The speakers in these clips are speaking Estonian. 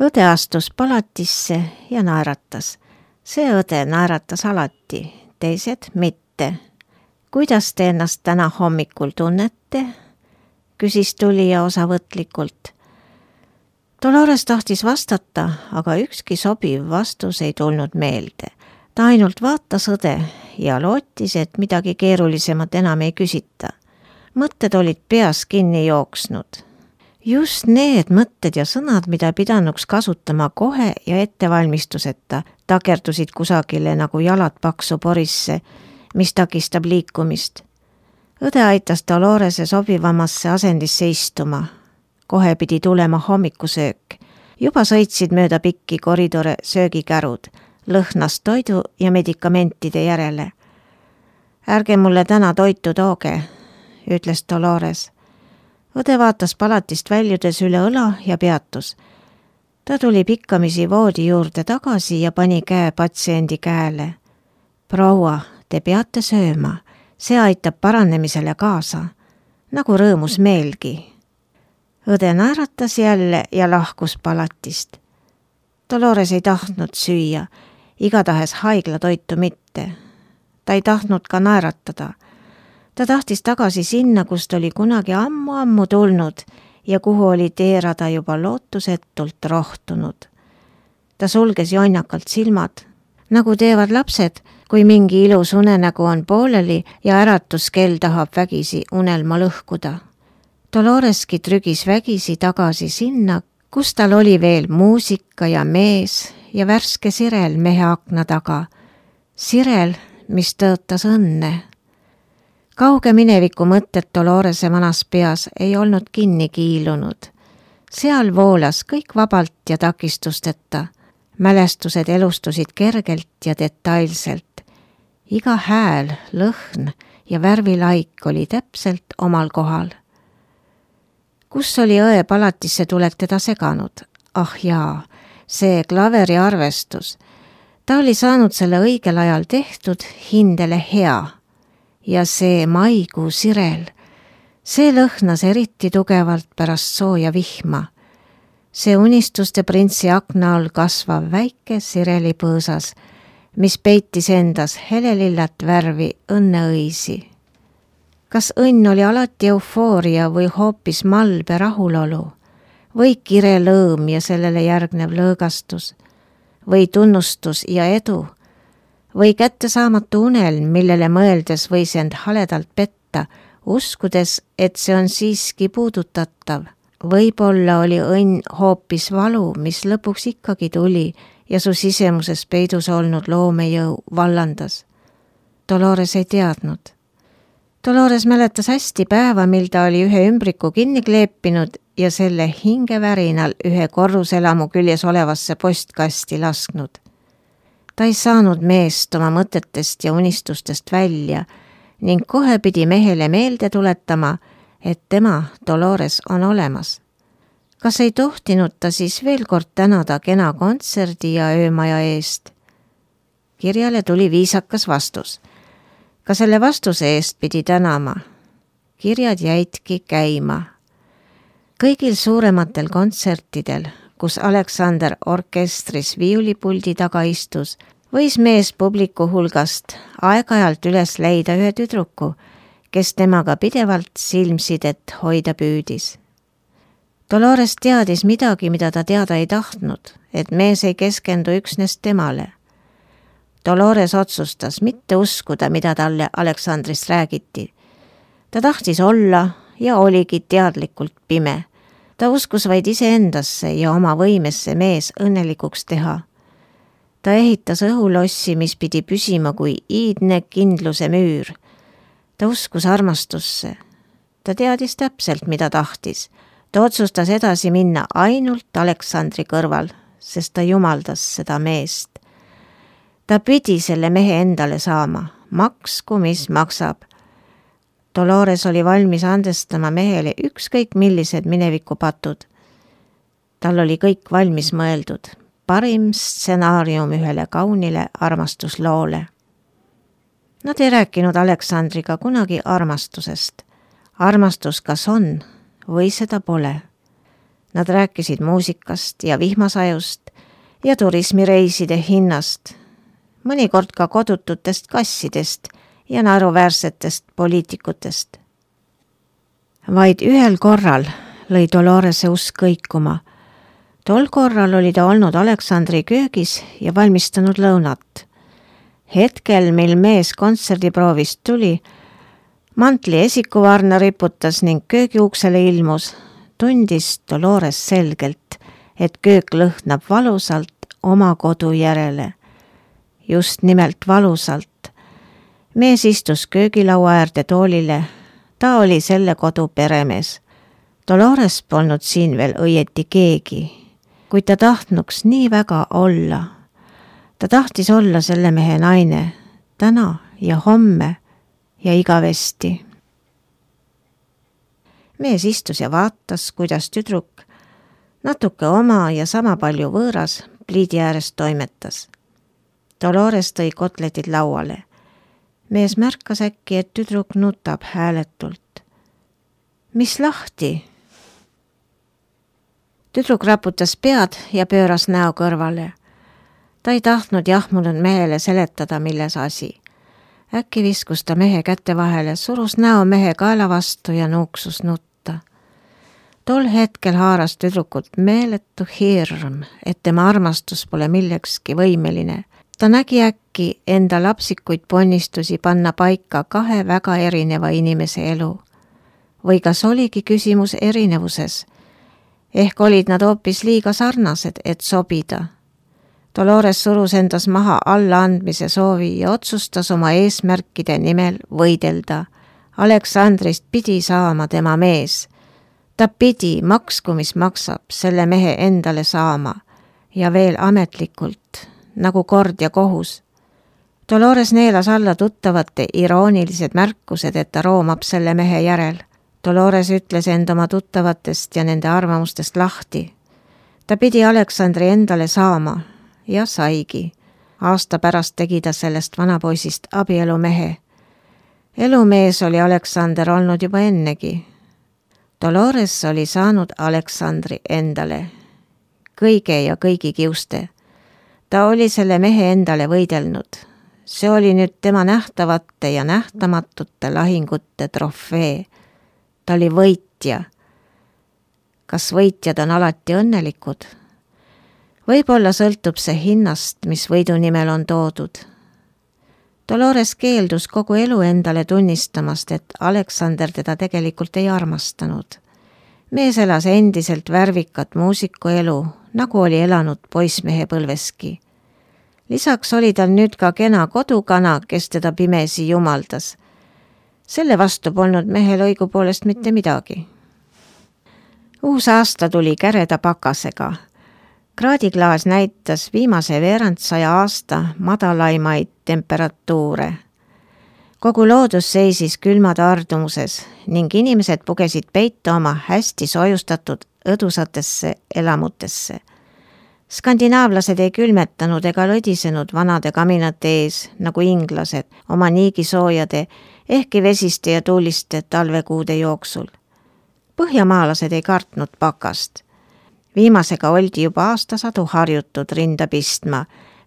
Õde astus palatisse ja naeratas. See õde naeratas alati, teised mitte. Kuidas te ennast täna hommikul tunnete? Küsis tulija osavõtlikult. Dolores tahtis vastata, aga ükski sobiv vastus ei tulnud meelde. Ta ainult vaatas õde ja lootis, et midagi keerulisemat enam ei küsita. Mõtted olid peas kinni jooksnud. Just need mõtted ja sõnad, mida pidanuks kasutama kohe ja ettevalmistuseta, takerdusid kusagile nagu jalad paksu porisse, mis takistab liikumist. Õde aitas Dolorese sobivamasse asendisse istuma. Kohe pidi tulema hommikusöök. Juba sõitsid mööda pikki koridore söögikärud, lõhnas toidu ja medikamentide järele. Ärge mulle täna toitu tooge, ütles Dolores. Õde vaatas palatist väljudes üle õla ja peatus. Ta tuli pikkamisi voodi juurde tagasi ja pani käe patsiendi käele. Proua, te peate sööma. See aitab paranemisele kaasa, nagu rõõmus meelgi. Õde naeratas jälle ja lahkus palatist. Dolores ei tahtnud süüa, igatahes haiglatoitu mitte. Ta ei tahtnud ka naeratada. Ta tahtis tagasi sinna, kust oli kunagi ammu tulnud ja kuhu oli teerada juba lootusetult rohtunud. Ta sulges jonnakalt silmad, nagu teevad lapsed, kui mingi ilus unenägu on pooleli ja äratuskell tahab vägisi unelma lõhkuda. Doloreski trügis vägisi tagasi sinna, kus tal oli veel muusika ja mees ja värske sirel mehe akna taga. Sirel, mis tõotas õnne. Kauge mineviku mõtted Dolorese vanas peas ei olnud kinni kiilunud. Seal voolas kõik vabalt ja takistusteta. Mälestused elustusid kergelt ja detailselt. Iga hääl, lõhn ja värvilaik oli täpselt omal kohal. Kus oli õe palatisse tulek teda seganud? Ah jaa, see klaveri arvestus. Ta oli saanud selle õigel ajal tehtud, hindele hea. Ja see maikuu sirel, see lõhnas eriti tugevalt pärast sooja vihma. See unistuste printsi akna all kasvav väike sireli põõsas, mis peitis endas helelillat värvi õnneõisi. Kas õnn oli alati eufooria või hoopis malbe rahulolu? Või kire lõõm ja sellele järgnev lõõgastus? Või tunnustus ja edu? Või kättesaamatu unelm, millele mõeldes võis end haledalt petta, uskudes, et see on siiski puudutatav? Võib-olla oli õnn hoopis valu, mis lõpuks ikkagi tuli ja su sisemuses peidus olnud loomejõu vallandas. Dolores ei teadnud. Dolores mäletas hästi päeva, mil ta oli ühe ümbriku kinni kleepinud ja selle hingevärinal ühe korruselamu küljes olevasse postkasti lasknud. Ta ei saanud meest oma mõtetest ja unistustest välja ning kohe pidi mehele meelde tuletama, et tema, Dolores, on olemas. Kas ei tohtinud ta siis veel kord tänada kena kontserdi ja öömaja eest? Kirjale tuli viisakas vastus. Ka selle vastuse eest pidi tänama. Kirjad jäidki käima. Kõigil suurematel kontsertidel, kus Aleksander orkestris viiulipuldi taga istus, võis mees publiku hulgast aeg-ajalt üles leida ühe tüdruku, kes temaga pidevalt silmsidet hoida püüdis. Dolores teadis midagi, mida ta teada ei tahtnud, et mees ei keskendu üksnes temale. Dolores otsustas mitte uskuda, mida talle Aleksandrist räägiti. Ta tahtis olla ja oligi teadlikult pime. Ta uskus vaid iseendasse ja oma võimesse mees õnnelikuks teha. Ta ehitas õhulossi, mis pidi püsima kui iidne kindluse müür. Ta uskus armastusse. Ta teadis täpselt, mida tahtis. Ta otsustas edasi minna ainult Aleksandri kõrval, sest ta jumaldas seda meest. Ta pidi selle mehe endale saama, maksku mis maksab. Dolores oli valmis andestama mehele ükskõik millised minevikupatud. Tal oli kõik valmis mõeldud, parim stsenaarium ühele kaunile armastusloole. Nad ei rääkinud Aleksandriga kunagi armastusest. Armastus kas on või seda pole. Nad rääkisid muusikast ja vihmasajust ja turismireiside hinnast, mõnikord ka kodututest kassidest ja naeruväärsetest poliitikutest. Vaid ühel korral lõi Dolorese usk kõikuma. Tol korral oli ta olnud Aleksandri köögis ja valmistanud lõunat. Hetkel, mil mees kontserdiproovist tuli, mantli esikuvarna riputas ning köögiuksele ilmus, tundis Dolores selgelt, et köök lõhnab valusalt oma kodu järele. Just nimelt valusalt. Mees istus köögilaua äärde toolile. Ta oli selle kodu peremees. Dolores polnud siin veel õieti keegi, kuid ta tahtnuks nii väga olla. Ta tahtis olla selle mehe naine, täna ja homme ja igavesti. Mees istus ja vaatas, kuidas tüdruk, natuke oma ja sama palju võõras, pliidi ääres toimetas. Dolores tõi kotletid lauale. Mees märkas äkki, et tüdruk nutab hääletult. Mis lahti? Tüdruk raputas pead ja pööras näo kõrvale. Ta ei tahtnud jahmunud mehele seletada, milles asi. Äkki viskus ta mehe kätte vahele, surus näo mehe kaela vastu ja nuuksus nutta. Tol hetkel haaras tüdrukut meeletu hirm, et tema armastus pole millekski võimeline. Ta nägi äkki enda lapsikuid ponnistusi panna paika kahe väga erineva inimese elu. Või kas oligi küsimus erinevuses? Ehk olid nad hoopis liiga sarnased, et sobida. Dolores surus endas maha allaandmise soovi ja otsustas oma eesmärkide nimel võidelda. Aleksandrist pidi saama tema mees. Ta pidi, maksku mis maksab, selle mehe endale saama ja veel ametlikult, nagu kord ja kohus. Dolores neelas alla tuttavate iroonilised märkused, et ta roomab selle mehe järel. Dolores ütles end oma tuttavatest ja nende arvamustest lahti. Ta pidi Aleksandri endale saama ja saigi. Aasta pärast tegi ta sellest vanapoisist abielumehe. Elumees oli Aleksander olnud juba ennegi. Dolores oli saanud Aleksandri endale. Kõige ja kõigi kiuste. Ta oli selle mehe endale võidelnud. See oli nüüd tema nähtavate ja nähtamatute lahingute trofee. Ta oli võitja. Kas võitjad on alati õnnelikud? Võib-olla sõltub see hinnast, mis võidu nimel on toodud. Dolores keeldus kogu elu endale tunnistamast, et Aleksander teda tegelikult ei armastanud. Mees elas endiselt värvikat muusikuelu, nagu oli elanud poissmehe põlveski. Lisaks oli tal nüüd ka kena kodukana, kes teda pimesi jumaldas. Selle vastu polnud mehel õigupoolest mitte midagi. Uus aasta tuli käreda pakasega. Kraadiklaas näitas viimase veerandsaja aasta madalaimaid temperatuure. Kogu loodus seisis külma tardumuses ning inimesed pugesid peitu oma hästi soojustatud õdusatesse elamutesse. Skandinaavlased ei külmetanud ega lõdisenud vanade kaminate ees, nagu inglased, oma niigisoojade, ehkki vesiste ja tuuliste talvekuude jooksul. Põhjamaalased ei kartnud pakast. Viimasega oldi juba aastasadu harjutud rinda pistma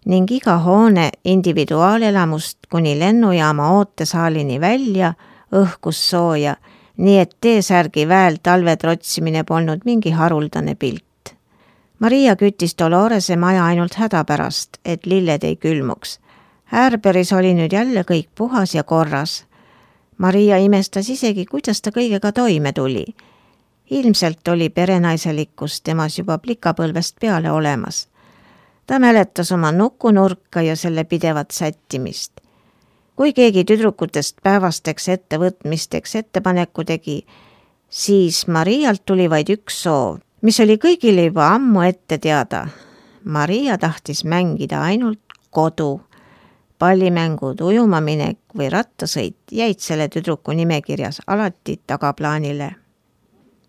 ning iga hoone individuaalelamust kuni lennujaama ootesaalini välja õhkus sooja, nii et T-särgi väel talve trotsimine polnud mingi haruldane pilt. Maria küttis Dolorese maja ainult hädapärast, et lilled ei külmuks. Härberis oli nüüd jälle kõik puhas ja korras. Maria imestas isegi, kuidas ta kõigega toime tuli. Ilmselt oli perenaiselikkus temas juba plikapõlvest peale olemas. Ta mäletas oma nukunurka ja selle pidevat sättimist. Kui keegi tüdrukutest päevasteks ettevõtmisteks ettepaneku tegi, siis Marialt tuli vaid üks soov, mis oli kõigile juba ammu ette teada. Maria tahtis mängida ainult kodu. Pallimängud, ujumaminek või rattasõit jäid selle tüdruku nimekirjas alati tagaplaanile.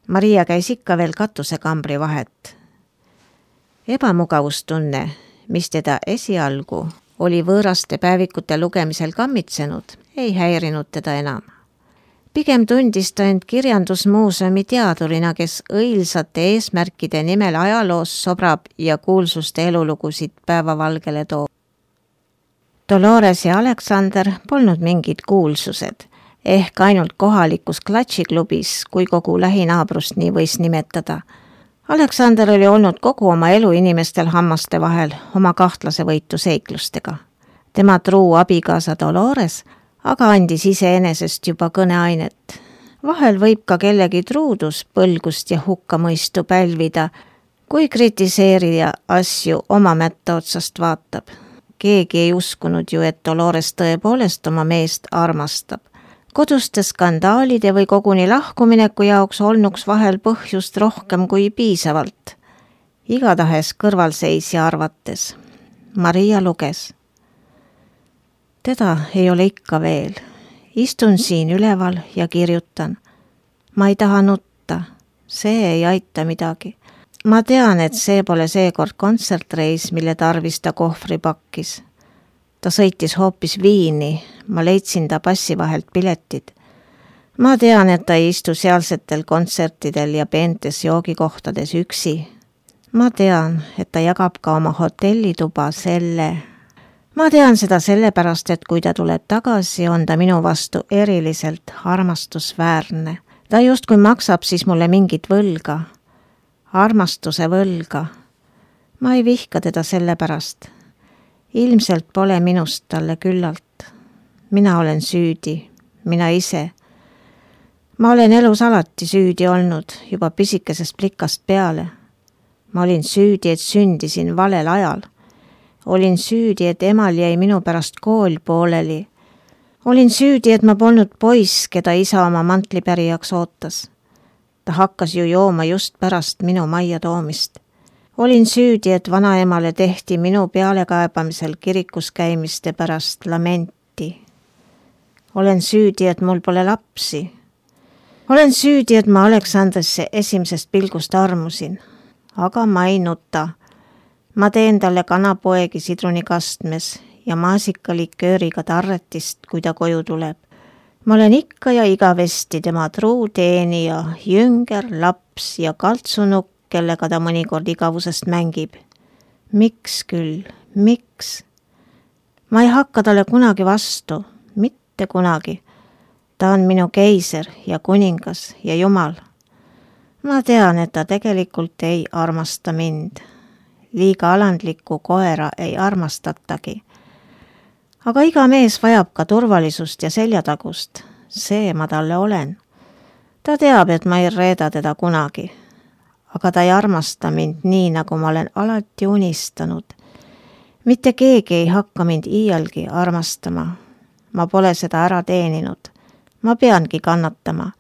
Maria käis ikka veel katusekambri vahet. Ebamugavustunne, mis teda esialgu oli võõraste päevikute lugemisel kammitsenud, ei häirinud teda enam. Pigem tundis ta end kirjandusmuuseumi teadurina, kes õilsate eesmärkide nimel ajaloos sobrab ja kuulsuste elulugusid päevavalgele toob. Dolores ja Aleksander polnud mingid kuulsused, ehk ainult kohalikus klatšiklubis, kui kogu lähinaabrust nii võis nimetada. Aleksander oli olnud kogu oma elu inimestel hammaste vahel oma kahtlase võitu seiklustega. Tema truu abikaasa Dolores aga andis iseenesest juba kõneainet. Vahel võib ka kellegi truudus, põlgust ja hukkamõistu pälvida, kui kritiseerija asju oma mätta otsast vaatab. Keegi ei uskunud ju, et Dolores tõepoolest oma meest armastab. Koduste skandaalide või koguni lahkumineku jaoks olnuks vahel põhjust rohkem kui piisavalt. Igatahes kõrvalseisja arvates. Maria luges. Teda ei ole ikka veel. Istun siin üleval ja kirjutan. Ma ei taha nutta. See ei aita midagi. Ma tean, et see pole seekord kontsertreis, mille tarvis ta kohvri pakkis. Ta sõitis hoopis Viini. Ma leidsin ta passi vahelt piletid. Ma tean, et ta ei istu sealsetel kontsertidel ja peentes joogikohtades üksi. Ma tean, et ta jagab ka oma hotellituba Ma tean seda sellepärast, et kui ta tuleb tagasi, on ta minu vastu eriliselt armastusväärne. Ta justkui maksab siis mulle mingit võlga. Armastuse võlga. Ma ei vihka teda sellepärast. Ilmselt pole minust talle küllalt. Mina olen süüdi. Mina ise. Ma olen elus alati süüdi olnud, juba pisikesest plikast peale. Ma olin süüdi, et sündisin valel ajal. Olin süüdi, et emal jäi minu pärast kool pooleli. Olin süüdi, et ma polnud poiss, keda isa oma mantlipärijaks ootas. Ta hakkas ju jooma just pärast minu majja toomist. Olin süüdi, et vanaemale tehti minu pealekaebamisel kirikus käimiste pärast lamenti. Olen süüdi, et mul pole lapsi. Olen süüdi, et ma Aleksandrisse esimesest pilgust armusin. Aga ma ei nuta. Ma teen talle kanapoegi sidrunikastmes ja maasikalikööriga tarretist, kui ta koju tuleb. Ma olen ikka ja igavesti tema truu teenija, jünger, laps ja kaltsunukk, kellega ta mõnikord igavusest mängib. Miks küll? Miks? Ma ei hakka talle kunagi vastu, mitte kunagi. Ta on minu keiser ja kuningas ja jumal. Ma tean, et ta tegelikult ei armasta mind. Liiga alandliku koera ei armastatagi. Aga iga mees vajab ka turvalisust ja seljatagust. See ma talle olen. Ta teab, et ma ei reeda teda kunagi. Aga ta ei armasta mind nii, nagu ma olen alati unistanud. Mitte keegi ei hakka mind iialgi armastama. Ma pole seda ära teeninud. Ma peangi kannatama.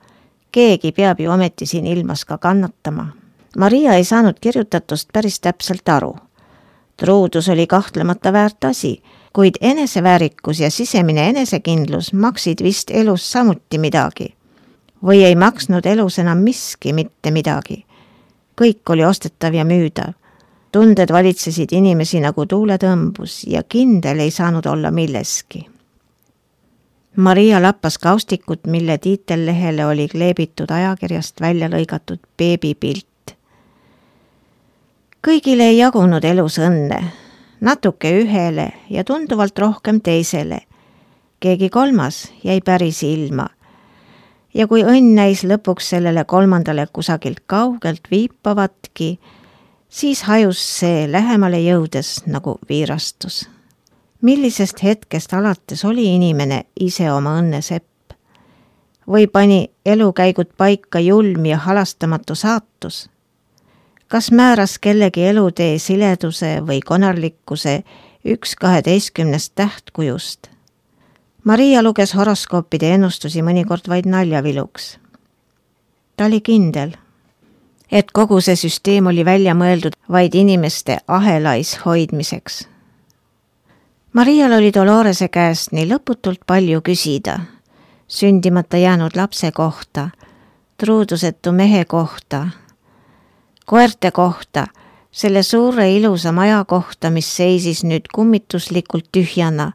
Keegi peab ju ometi siin ilmas ka kannatama. Maria ei saanud kirjutatust päris täpselt aru. Truudus oli kahtlemata väärt asi, kuid eneseväärikus ja sisemine enesekindlus maksid vist elus samuti midagi. Või ei maksnud elus enam miski mitte midagi. Kõik oli ostetav ja müüdav. Tunded valitsesid inimesi nagu tuuletõmbus ja kindel ei saanud olla milleski. Maria lappas kaustikut, mille tiitellehele oli kleebitud ajakirjast välja lõigatud beebipilt. Kõigile ei jagunud elus õnne, natuke ühele ja tunduvalt rohkem teisele. Keegi kolmas jäi päris ilma. Ja kui õnn näis lõpuks sellele kolmandale kusagilt kaugelt viipavatki, siis hajus see lähemale jõudes nagu viirastus. Millisest hetkest alates oli inimene ise oma õnne sepp? Või pani elukäigud paika julm ja halastamatu saatus? Kas määras kellegi elutee sileduse või konarlikkuse 1/12 tähtkujust? Maria luges horoskoopide ennustusi mõnikord vaid naljaviluks. Ta oli kindel, et kogu see süsteem oli välja mõeldud vaid inimeste ahelais hoidmiseks. Marial oli Dolorese käest nii lõputult palju küsida, sündimata jäänud lapse kohta, truudusetu mehe kohta, koerte kohta, selle suure ilusa maja kohta, mis seisis nüüd kummituslikult tühjana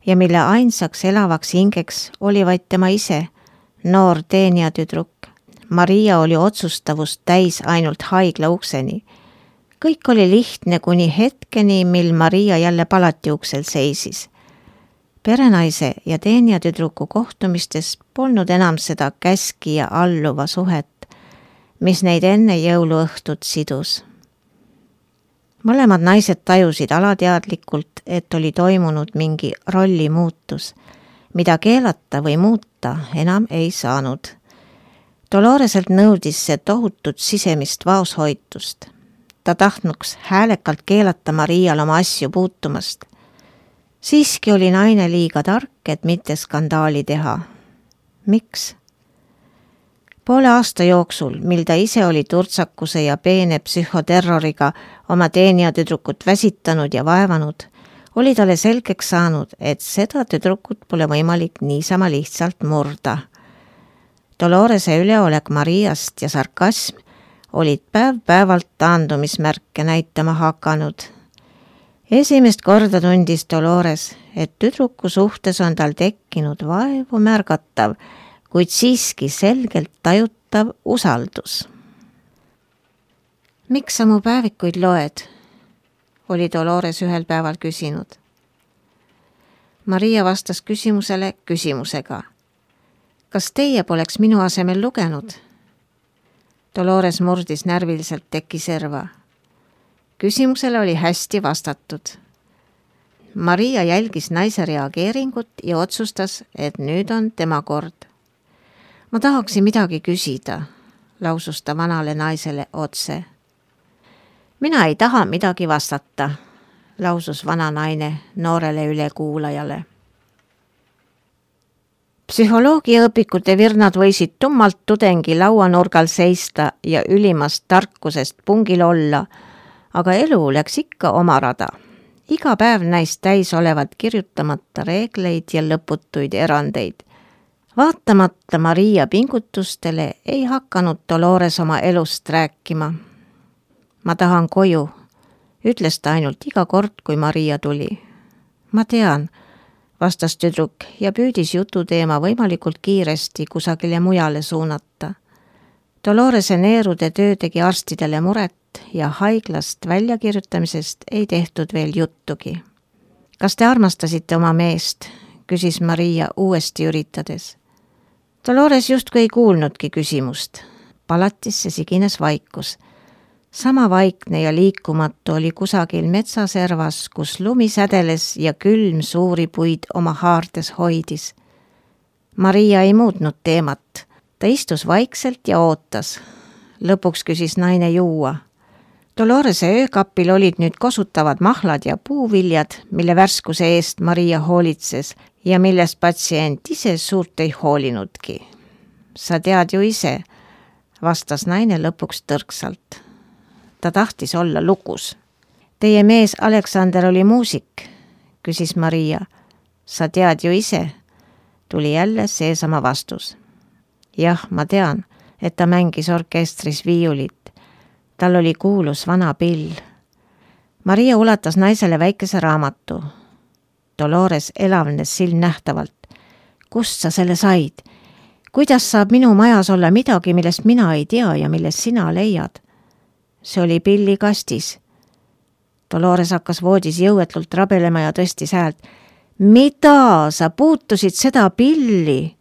ja mille ainsaks elavaks hingeks oli vaid tema ise, noor teenijatüdruk. Maria oli otsustavust täis ainult haigla ukseni. Kõik oli lihtne kuni hetkeni, mil Maria jälle palati uksel seisis. Perenaise ja teenijatüdruku kohtumistes polnud enam seda käski ja alluva suhet, mis neid enne jõuluõhtut sidus. Mõlemad naised tajusid alateadlikult, et oli toimunud mingi rolli muutus, mida keelata või muuta enam ei saanud. Doloreselt nõudis see tohutut sisemist vaoshoitust. Ta tahtnuks häälekalt keelata Marial oma asju puutumast. Siiski oli naine liiga tark, et mitte skandaali teha. Miks? Poole aasta jooksul, mil ta ise oli turtsakuse ja peene psühhoterroriga oma teenijatüdrukut väsitanud ja vaevanud, oli talle selgeks saanud, et seda tüdrukut pole võimalik niisama lihtsalt murda. Dolorese üleolek Mariast ja sarkasm olid päev-päevalt taandumismärke näitama hakanud. Esimest korda tundis Dolores, et tüdruku suhtes on tal tekkinud vaevu märgatav, kuid siiski selgelt tajutav usaldus. Miks sa mu päevikuid loed? Oli Dolores ühel päeval küsinud. Maria vastas küsimusele küsimusega. Kas teie poleks minu asemel lugenud? Dolores murdis närviliselt teki serva. Küsimusele oli hästi vastatud. Maria jälgis naise reageeringut ja otsustas, et nüüd on tema kord. Ma tahaksin midagi küsida, lausus ta vanale naisele otse. Mina ei taha midagi vastata, lausus vana naine noorele ülekuulajale. Psühholoogiaõpikute virnad võisid tummalt tudengi lauanurgal seista ja ülimast tarkusest pungil olla, aga elu läks ikka oma rada. Iga päev näis täis olevat kirjutamata reegleid ja lõputuid erandeid. Vaatamata Maria pingutustele ei hakanud Dolores oma elust rääkima. Ma tahan koju, ütles ta ainult iga kord, kui Maria tuli. Ma tean, vastas tüdruk ja püüdis jututeema võimalikult kiiresti kusagile mujale suunata. Dolorese neerude töö tegi arstidele muret ja haiglast väljakirjutamisest ei tehtud veel juttugi. Kas te armastasite oma meest? Küsis Maria uuesti üritades. Dolores justkui ei kuulnudki küsimust. Palatisse sigines vaikus. Sama vaikne ja liikumatu oli kusagil metsaservas, kus lumi sädeles ja külm suuri puid oma haartes hoidis. Maria ei muutnud teemat. Ta istus vaikselt ja ootas. Lõpuks küsis naine juua. Dolorese öökapil olid nüüd kosutavad mahlad ja puuviljad, mille värskuse eest Maria hoolitses ja millest patsient ise suurt ei hoolinudki. Sa tead ju ise, vastas naine lõpuks tõrksalt. Ta tahtis olla lukus. Teie mees Aleksander oli muusik, küsis Maria. Sa tead ju ise, tuli jälle seesama vastus. Jah, ma tean, et ta mängis orkestris viiulit. Tal oli kuulus vana pill. Maria ulatas naisele väikese raamatu. Dolores elavnes silmnähtavalt. Kust sa selle said? Kuidas saab minu majas olla midagi, millest mina ei tea ja millest sina leiad? See oli pilli kastis. Dolores hakkas voodis jõuetult rabelema ja tõstis häält. Mida? Sa puutusid seda pilli?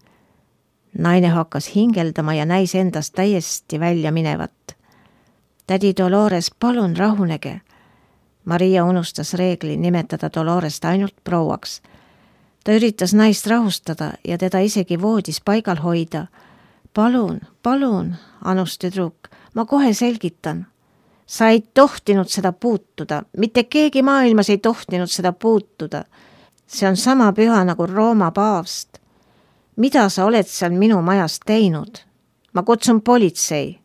Naine hakkas hingeldama ja näis endast täiesti välja minevat. Tädi Dolores, palun rahunege. Maria unustas reegli nimetada Dolorest ainult prouaks. Ta üritas naist rahustada ja teda isegi voodis paigal hoida. Palun, anus tüdruk, ma kohe selgitan. Sa ei tohtinud seda puutuda, mitte keegi maailmas ei tohtinud seda puutuda. See on sama püha nagu Rooma paavst. Mida sa oled seal minu majas teinud? Ma kutsun politsei.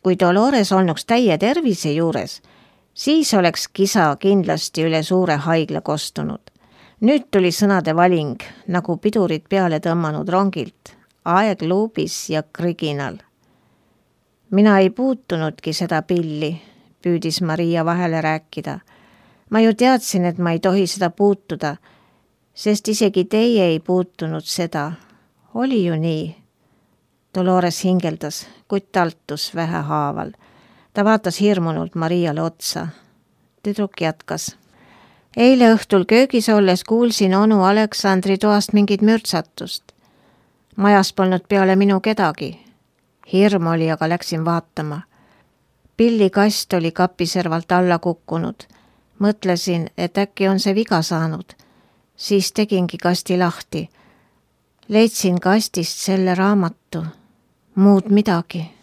Kui Dolores olnuks täie tervise juures, siis oleks kisa kindlasti üle suure haigla kostunud. Nüüd tuli sõnade valing, nagu pidurid peale tõmmanud rongilt, aeg luubis ja kriginal. Mina ei puutunudki seda pilli, püüdis Maria vahele rääkida. Ma ju teadsin, et ma ei tohi seda puutuda, sest isegi teie ei puutunud seda. Oli ju nii. Dolores hingeldas, kuid taltus vähehaaval. Ta vaatas hirmunult Mariale otsa. Tüdruk jätkas. Eile õhtul köögis olles kuulsin onu Aleksandri toast mingit mürtsatust. Majas polnud peale minu kedagi. Hirm oli, aga läksin vaatama. Pillikast oli kapiservalt alla kukkunud. Mõtlesin, et äkki on see viga saanud. Siis tegingi kasti lahti. Leidsin kastist selle raamatu. Muud midagi.